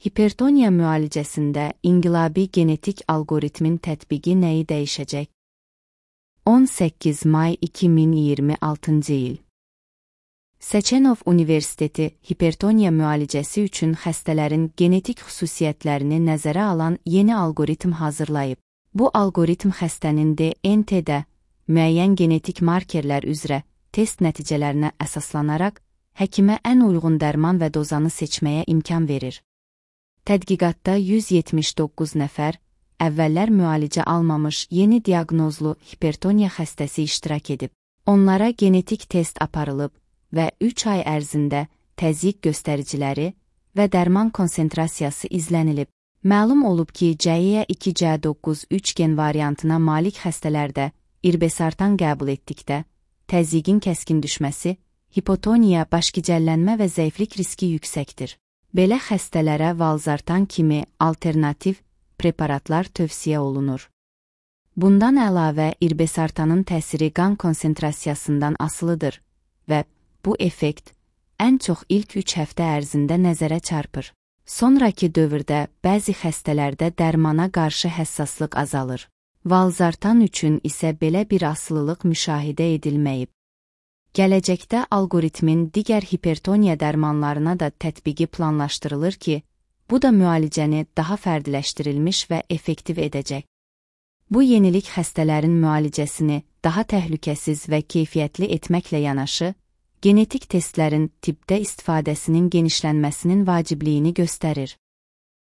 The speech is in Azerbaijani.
Hipertoniya müalicəsində inqilabi genetik alqoritmin tətbiqi nəyi dəyişəcək? 18 may 2026-cı il. Seçenov Universiteti hipertoniya müalicəsi üçün xəstələrin genetik xüsusiyyətlərini nəzərə alan yeni alqoritm hazırlayıb. Bu alqoritm xəstənin DNT-də müəyyən genetik markerlər üzrə test nəticələrinə əsaslanaraq həkimə ən uyğun dərman və dozanı seçməyə imkan verir. Tədqiqatda 179 nəfər, əvvəllər müalicə almamış yeni diaqnozlu hipertoniya xəstəsi iştirak edib. Onlara genetik test aparılıb və 3 ay ərzində təzyiq göstəriciləri və dərman konsentrasiyası izlənilib. Məlum olub ki, CY2C9 gen variantına malik xəstələrdə irbesartan qəbul etdikdə təzyiqin kəskin düşməsi, hipotoniya, başgicəllənmə və zəiflik riski yüksəkdir. Belə xəstələrə valsartan kimi alternativ preparatlar tövsiyə olunur. Bundan əlavə, irbesartanın təsiri qan konsentrasiyasından asılıdır və bu effekt ən çox ilk 3 həftə ərzində nəzərə çarpır. Sonrakı dövrdə bəzi xəstələrdə dərmana qarşı həssaslıq azalır. Valsartan üçün isə belə bir asılılıq müşahidə edilməyib. Gələcəkdə alqoritmin digər hipertoniya dərmanlarına da tətbiqi planlaşdırılır ki, bu da müalicəni daha fərdiləşdirilmiş və effektiv edəcək. Bu yenilik xəstələrin müalicəsini daha təhlükəsiz və keyfiyyətli etməklə yanaşı, genetik testlərin tibbdə istifadəsinin genişlənməsinin vacibliyini göstərir.